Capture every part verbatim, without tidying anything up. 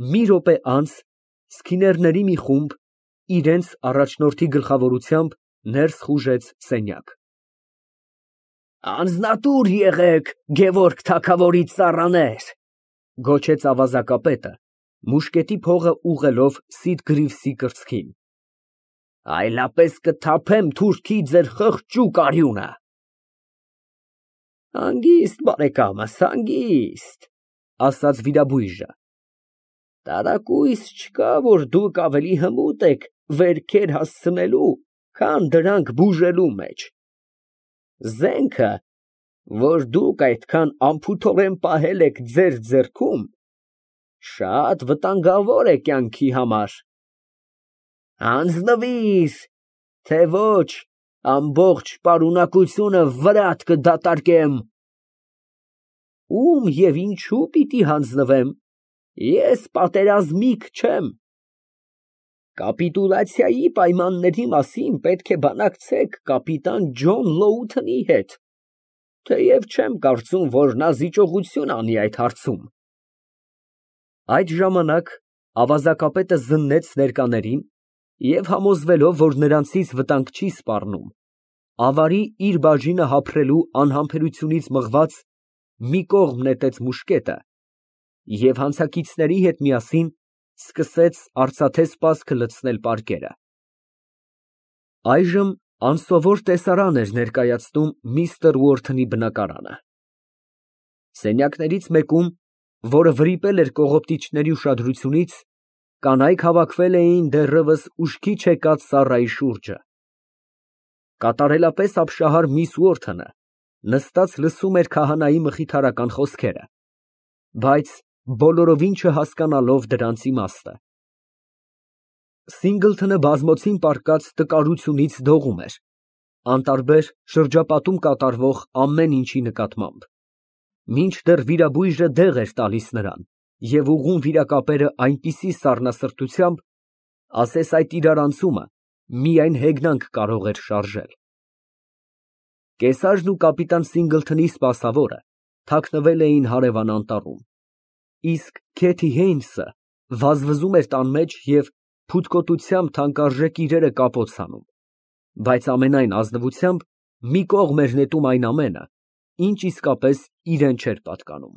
Մի րոպե անց սքիներների մի խումբ, իրենց առաջնորդի գլխավորությամբ, ներս խուժեց սենյակ։ Անձնատուր եղեք, Գևորգ թագավորի ծառաներ, գոչեց ավազակապետը, մուշկետի փողը ուղղելով Սիդ Գրիվսի կրծքին։ Այլապես կթափեմ թուրքի ձեր խղճուկ արյունը։ Հանգիստ, բարեկամս, հանգիստ, ասաց վիրաբույժը։ Տարակույս չկա, որ դուք ավելի հմուտ եք վերքեր հասցնելու, քան դրանք բուժելու մեջ։ Զենքը, որ դուք այդքան անփութորեն պահել եք ձեր ձեռքում, շատ վտանգավոր է կյանքի համար։ Հանձնվիր, թե ոչ ամբողջ պարունակությունը վրատ կդատարկեմ։ Ում և ինչու պիտի հանձնվեմ, ես պատերազմիկ չեմ։ Կապիտուլյացիայի պայմանների մասին պետք է բանակցեք կապիտան Ջոն Լոութոնի հետ, թեև չեմ կարծում, որ նա զիջողություն անի այդ հարցում։ Այդ ժամանակ ավազակապետը զննեց ներկաներին և համոզվելով, որ նրանցից վտանգ չի սպառնում, ավարի իր բաժինը հափռելու անհամբերությունից մղված, մի կողմ նետեց մուշկետը և հանցակիցների հետ միասին սկսեց արծաթե սպասքը լցնել պարկերը։ Այժմ անսովոր տեսարան էր ներկայացնում միստր Ուորթոնի բնակարանը։ Սենյակներից մեկում, որը վրիպել էր կողոպտիչների ուշադրությունից, կանայք հավաքվել էին դեռևս ուշքի չեկած սառայի շուրջը։ Կատարելապես ապշահար միս Ուորթոնը նստած լսում էր քահանայի մխիթարական խոսքերը, բայց բոլորովին չհասկանալով դրանց իմաստը։ Սինգլթոնը բազմոցին պառկած տկարությունից դողում էր, անտարբեր շրջապատում կատարվող ամեն ինչի նկատմամբ, մինչդեռ վիրաբույժը դեղ էր տալիս նրան և ուղղում վիրակապերը այնպիսի սառնասրտությամբ, ասես այդ իրարանցումը միայն հեգնանք կարող էր շարժել։ Կեսաժն ու կապիտան Սինգլթոնի սպասավորը թաքնվել էին հարևան անտառում, իսկ Քեթի Հեյնսը վազվզում էր տան մեջ և փութկոտությամբ թանկարժեք իրերը կապոց հանում, բայց ամենայն ազնվությամբ մի կողմ էր նետում այն ամենը, ինչ իսկապես իրան չէր պատկանում։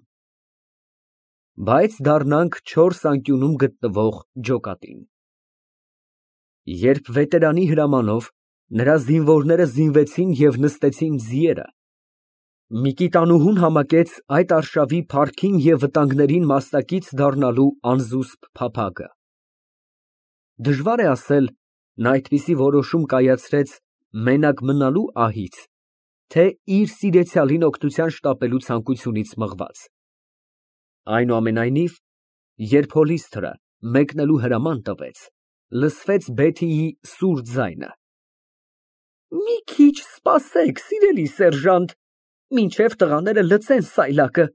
Բայց դառնանք չորս անկյունում գտնվող ջոկատին։ Երբ վետերանի հրամանով նրա զինվորները զինվեցին և նստեցին ձիերը, Միկիտանուհուն համակեց այդ արշավի փառքին և վտանգներին մասնակից դառնալու անզուսպ փափագը։ Դժվար է ասել, նա այդպիսի որոշում կայացրեց մենակ մնալու ահից, թե իր սիրեցյալին օգնության շտապելու ցանկությունից մղված։ Այնուամենայնիվ, երբ հոլիսթրը մեկնելու հրաման տվեց, լսվեց Բեթիի սուր ձայնը. «Մի քիչ սպասեք, սիրելի սերժանտ, մինչև տղաները լցեն սայլակը,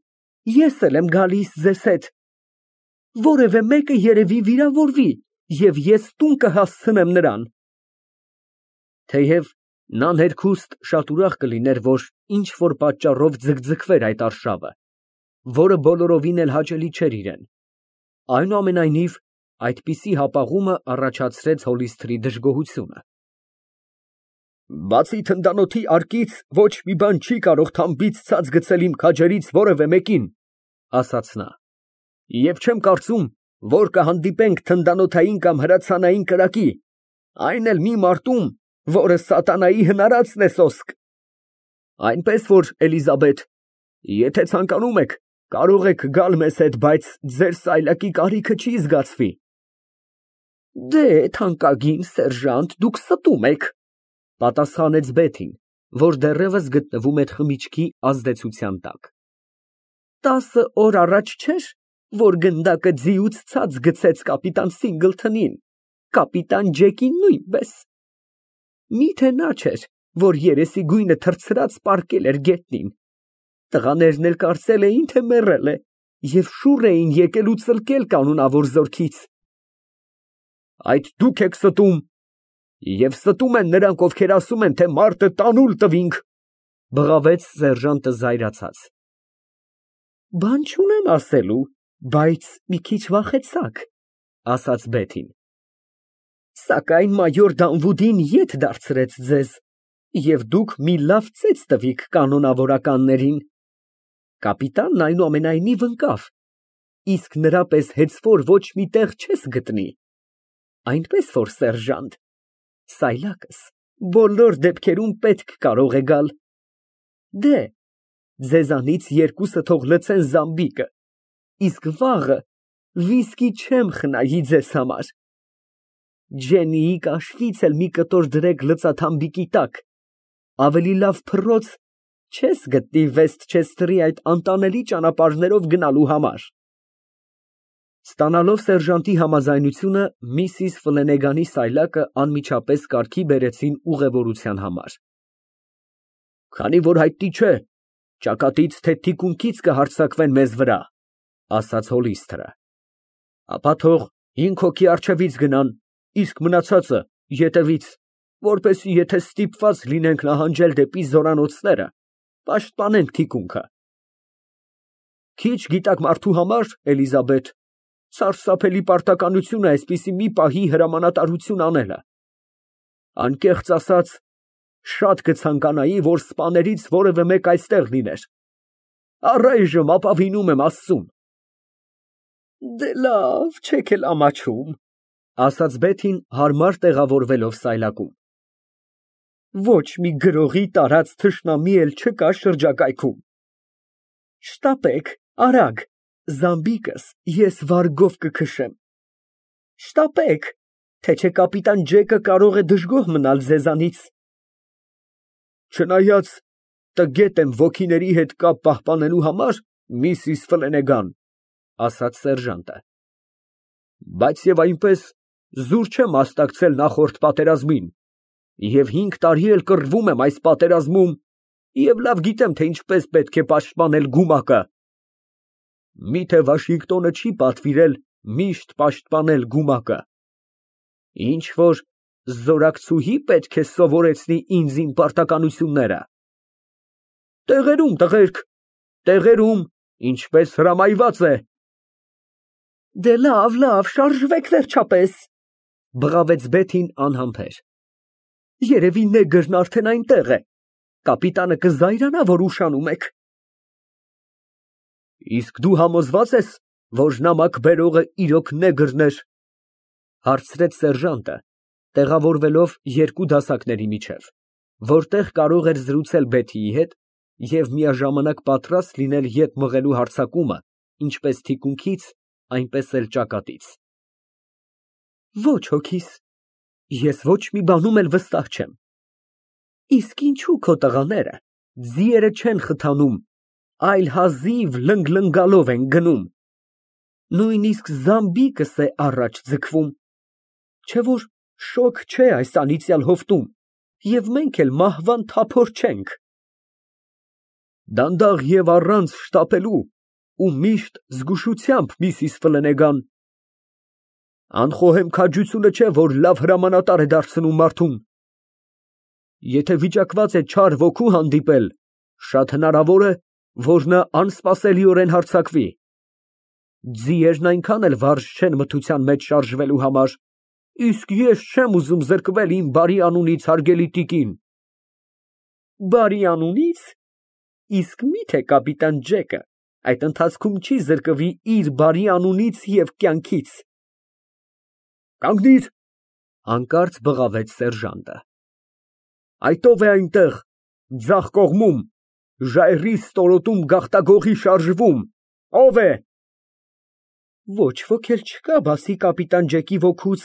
ես էլ եմ գալիս ձեզ հետ։ Որևէ մեկը երևի վիրավորվի, և ես տուն կհասցնեմ նրան»։ Թեև նա ներքուստ շատ ուրախ կլիներ, որ ինչ֊որ պատճառով ձգձգվեր այդ արշավը, որը բոլորովին էլ հաճելի չէր իրան, այնուամենայնիվ այդպիսի հապաղումը առաջացրեց հոլիսթրի դժգոհությունը։ «Բացի թնդանոթի արկից ոչ մի բան չի կարող թամբից ցած գցել իմ քաջերից որևէ մեկին», ասաց նա, «և չեմ կարծում, որ կհանդիպենք թնդանոթային կամ հրացանային կրակի, այն էլ մի մարտում, որը սատանայի հնարածն է սոսկ։ Այնպես որ, Էլիզաբեթ, եթե ցանկանում եք, կարող եք գալ մեզ հետ, բայց ձեր սայլակի կարիքը չի զգացվի»։ «Դե, թանկագին սերժանտ, դուք ստում եք», պատասխանեց Բեթին, որ դեռևս գտնվում էր խմիչքի ազդեցության տակ։ «Տասը օր առաջ չէր, որ գնդակը ձիուց ցած գցեց կապիտան Սինգլթոնին, կապիտան Ջեկին նույնպես։ Մի՞թե նա չէր, որ երեսի գույնը թռցրած պառկել էր գետնին, տղաներն էլ կարծել էին, թե մեռել է, և շուռ էին եկել ու ծլկել կանոնավոր զորքից»։ «Այդ դուք եք ստում, և ստում են նրանք, ովքեր ասում են, թե մարտը տանուլ տվինք», բղավեց սերժանտը զայրացած։ «Բան չունեմ ասելու, Բայց մի քիչ վախեցաք, ասաց Բեթին։ Սակայն մայոր Դանվուդին ետ դարձրեց ձեզ, և դուք մի լավ ծեծ տվիք կանոնավորականներին։ Կապիտանն այնուամենայնիվ ընկավ, իսկ նրա պես հեծվոր ոչ մի տեղ չես գտնի, այնպես որ, սերժանտ, սայլակս բոլոր դեպքերում պետք կարող է գալ։ Դե, ձեզանից երկուսը թող լցեն զամբիկը, իսկ վաղը վիսկի չեմ խնայի ձեզ համար։ Ջեննիի կաշվից էլ մի կտոր դրեք լծաթամբիկի տակ, ավելի լավ փռոց չես գտնի Վեսթչեսթերի այդ անտանելի ճանապարհներով գնալու համար։ Ստանալով սերժանտի համաձայնությունը, միսիս Ֆլենեգանի սայլակը անմիջապես կարգի բերեցին ուղևորության համար։ Քանի որ հայտնի չէ, ճակատից թե թիկունքից կհարձակվեն մեզ վրա, ասաց Հոլիսթը, ապա թող հինգ հոգի առջևից գնան, իսկ մնացածը ետևից, որպեսզի եթե ստիպված լինենք նահանջել դեպի զորանոցները, պաշտպանենք թիկունքը։ Քիչ գիտակ մարդու համար, Էլիզաբեթ, սարսափելի պարտականություն է այսպիսի մի պահի հրամանատարություն անելը։ Անկեղծ ասած, շատ կցանկանայի, որ սպաներից որևէ մեկ այստեղ լիներ։ Առայժմ ապավինում եմ Աստծուն։ Դե լավ, չեք էլ ամաչում, ասաց Բեթին հարմար տեղավորվելով սայլակում։ Ոչ մի գրողի տարած թշնամի էլ չկա շրջակայքում։ Շտապեք, արագ, զամբիկս ես վարգով կքշեմ։ Շտապեք, թե չէ կապիտան Ջեկը կարող է դժգոհ մնալ ձեզանից։ Չնայած տգետ եմ ոգիների հետ կապ պահպանելու համար, միսիս Ֆլենեգան, ասաց սերժանտը, բայց եւ այնպես զուր չեմ մասնակցել նախորդ պատերազմին, և հինգ տարի էլ կռվում եմ այս պատերազմում, և լավ գիտեմ, թե ինչպես պետք է պաշտպանել գումակը։ Միթե Վաշինգտոնը չի պատվիրել միշտ պաշտպանել գումակը։ Ինչ որ զորակցուհի պետք է սովորեցնի ինձ իմ պարտականությունները։ Տեղերում, տղերք, տեղերում, ինչպես հրամայված է։ Դե լավ, լավ, շարժվեք վերջապես, բղավեց Բեթին անհամբեր։ Երևի նեգրն արդեն այնտեղ է, կապիտանը կզայրանա, որ ուշանում եք։ Իսկ դու համոզված ես, որ նամակ բերողը իրոք նեգրն էր, հարցրեց սերժանտը, տեղավորվելով երկու դասակների միջև, որտեղ կարող էր զրուցել Բեթիի հետ և միաժամանակ պատրաստ լինել ետ մղելու հարձակումը ինչպես թիկունքից, այնպես էլ ճակատից։ Ոչ հոգիս, ես ոչ մի բանում էլ վստահ չեմ։ Իսկ ինչու քո տղաները ձիերը չեն խթանում, այլ հազիվ լնգլնգալով են գնում։ Նույնիսկ զամբիկս է առաջ ձգվում, չէ որ շոգ չէ այս անիծյալ հովտում, և մենք էլ մահվան թափոր չենք։ Դանդաղ և առանց շտապելու ու միշտ զգուշությամբ, միսիս Ֆլենեգան։ Անխոհեմ քաջությունը չէ, որ լավ հրամանատար է դարձնում մարդուն։ Եթե վիճակված է չար ոգու հանդիպել, շատ հնարավոր է, որ նա անսպասելիորեն հարձակվի։ Ձիերն այնքան էլ վարժ չեն մթության մեջ շարժվելու համար, իսկ ես չեմ ուզում զրկվել իմ բարի անունից, հարգելի տիկին։ Բարի անունի՞ց։ Իսկ մի՞թե կապիտան Ջեկը այդ ընթացքում չի զրկվի իր բարի անունից և կյանքից։ Կանգնիր, հանկարծ բղավեց սերժանտը։ Այդ ո՞վ է այնտեղ, ձախ կողմում, ժայռի ստորոտում գաղտագողի շարժվում, ո՞վ է։ Ոչ ոք էլ չկա, բացի կապիտան Ջեկի ոգուց,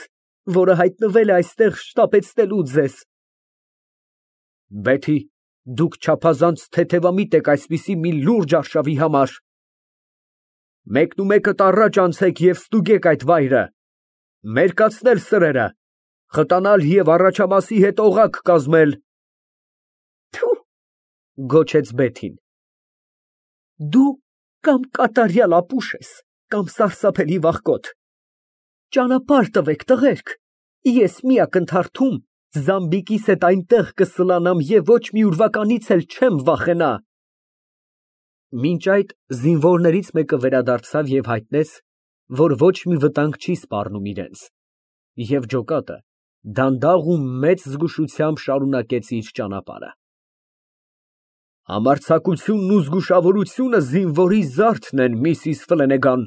որը հայտնվել է այստեղ շտապեցնելու ձեզ։ Բեթի, դուք չափազանց թեթևամիտ եք այսպիսի մի լուրջ արշավի համար։ Մեկնումեկդ առաջ անցեք և ստուգեք այդ վայրը, մերկացնել սրերը, խտանալ և առաջամասի հետ օղակ կազմել։ Թու, գոչեց Բեթին։ Դու կամ կատարյալ ապուշ ես, կամ սարսափելի վախկոտ։ Ճանապարհ տվեք, տղերք, ես մի ակնթարթում զամբիկիս հետ այնտեղ կսլանամ և ոչ մի ուրվականից էլ չեմ վախենա։ Մինչ այդ զինվորներից մեկը վերադարձավ և հայտնեց, որ ոչ մի վտանգ չի սպառնում իրենց, և ջոկատը դանդաղ ու մեծ զգուշությամբ շարունակեց իր ճանապարհը։ Համարձակությունն ու զգուշավորությունը զինվորի զարդն են, Միսիս Ֆլենեգան,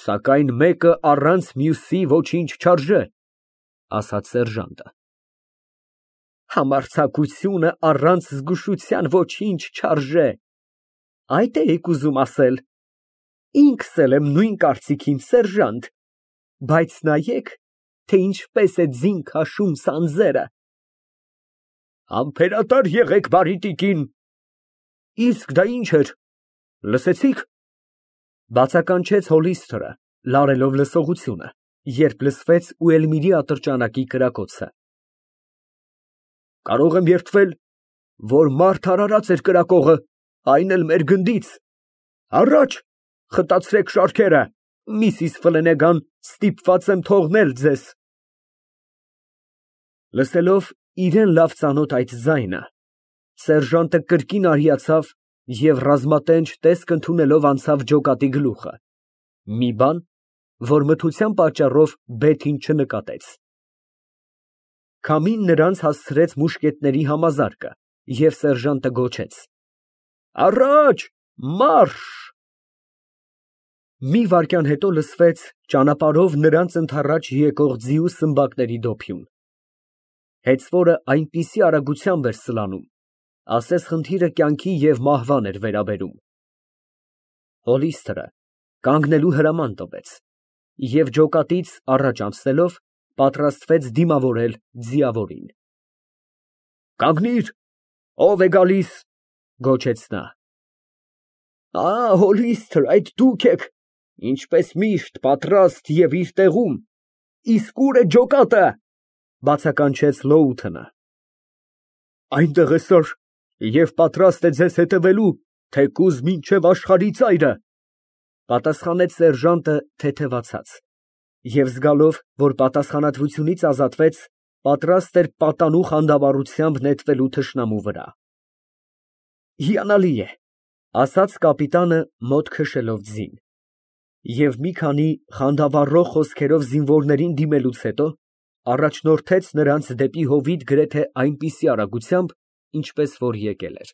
սակայն մեկը առանց մյուսի ոչինչ չարժե, ֊ ասաց սերժանտը։ Համարձակությունը առանց զգուշության ոչինչ չարժե, այդ էիք ուզում ասել։ Ինքս էլ եմ նույն կարծիքին, սերժանտ, բայց նայեք, թե ինչպես է ձին քաշում սանձերը։ Համբերատար եղեք, բարի տիկին։ Իսկ դա ինչ էր, լսեցի՞ք, բացականչեց Հոլիսթերը, լարելով լսողությունը, երբ լսվեց Ուելմիրի ատրճանակի կրակոցը։ Կարող եմ երդվել, որ մարդ արարած էր կրակողը, այն էլ մեր գնդից։ Առաջ, խտացրեք շարքերը, Միսիս Ֆլենեգան, ստիպված եմ թողնել ձեզ։ Լսելով իրան լավ ծանոթ այդ ձայնը, սերժանտը կրկին արիացավ և ռազմատենչ տեսք ընդունելով անցավ ջոկատի գլուխը, մի բան, որ մթության պատճառով բեթին չնկատեց։ Քամին նրանց հասցրեց մուշկետների համազարկը, և սերժանտը գոչեց. Առաջ, մարշ։ Մի վայրկյան հետո լսվեց ճանապարհով նրանց ընդառաջ եկող ձիու սմբակների դոփյուն։ Հեծվորը այնպիսի արագությամբ էր սլանում, ասես խնդիրը կյանքի և մահվան էր վերաբերում։ Հոլիսթերը կանգնելու հրաման տվեց և ջոկատից առաջ անցնելով պատրաստվեց դիմավորել ձիավորին։ Կանգնիր, ո՞վ է գալիս, գոչեց նա։ Ա, Հոլիսթր, այդ դուք եք, ինչպես միշտ, պատրաստ և իր տեղում, իսկ ո՞ւր է ջոկատը, բացականչեց Լոութենը։ Այնտեղ է, սըր, և պատրաստ է ձեզ հետևելու, թեկուզ մինչև աշխարհի ծայրը, պատասխանեց սերժանտը թեթևացած, և զգալով, որ պատասխանատվությունից ազատվեց, պատրաստ էր պատանու խանդավառությամբ նետվելու թշնամու վրա։ Հիանալի է, ասաց կապիտանը մոտ քշելով ձին, և մի քանի խանդավառող խոսքերով զինվորներին դիմելուց հետո առաջնորդեց նրանց դեպի հովիտ գրեթե այնպիսի արագությամբ, ինչպես որ եկել էր։